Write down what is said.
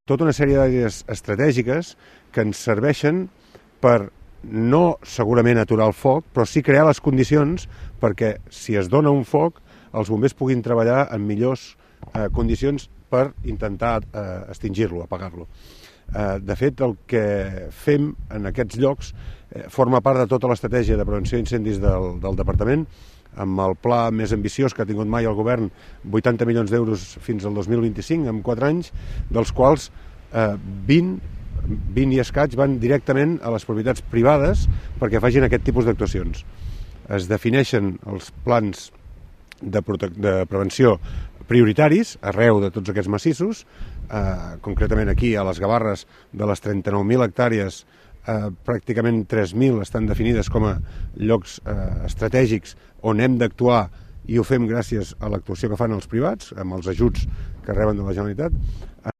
tota una sèrie d'àrees estratègiques que ens serveixen per no segurament aturar el foc, però sí crear les condicions perquè si es dona un foc els bombers puguin treballar en millors condicions per intentar extingir-lo, apagar-lo. De fet, el que fem en aquests llocs forma part de tota l'estratègia de prevenció d'incendis del departament, amb el pla més ambiciós que ha tingut mai el govern, 80 milions d'euros fins al 2025, en 4 anys, dels quals 20 i escaig van directament a les propietats privades perquè facin aquest tipus d'actuacions. Es defineixen els plans de prevenció prioritaris arreu de tots aquests massissos, concretament aquí a les Gavarres de les 39.000 hectàrees, pràcticament 3.000 estan definides com a llocs estratègics on hem d'actuar i ho fem gràcies a l'actuació que fan els privats, amb els ajuts que reben de la Generalitat.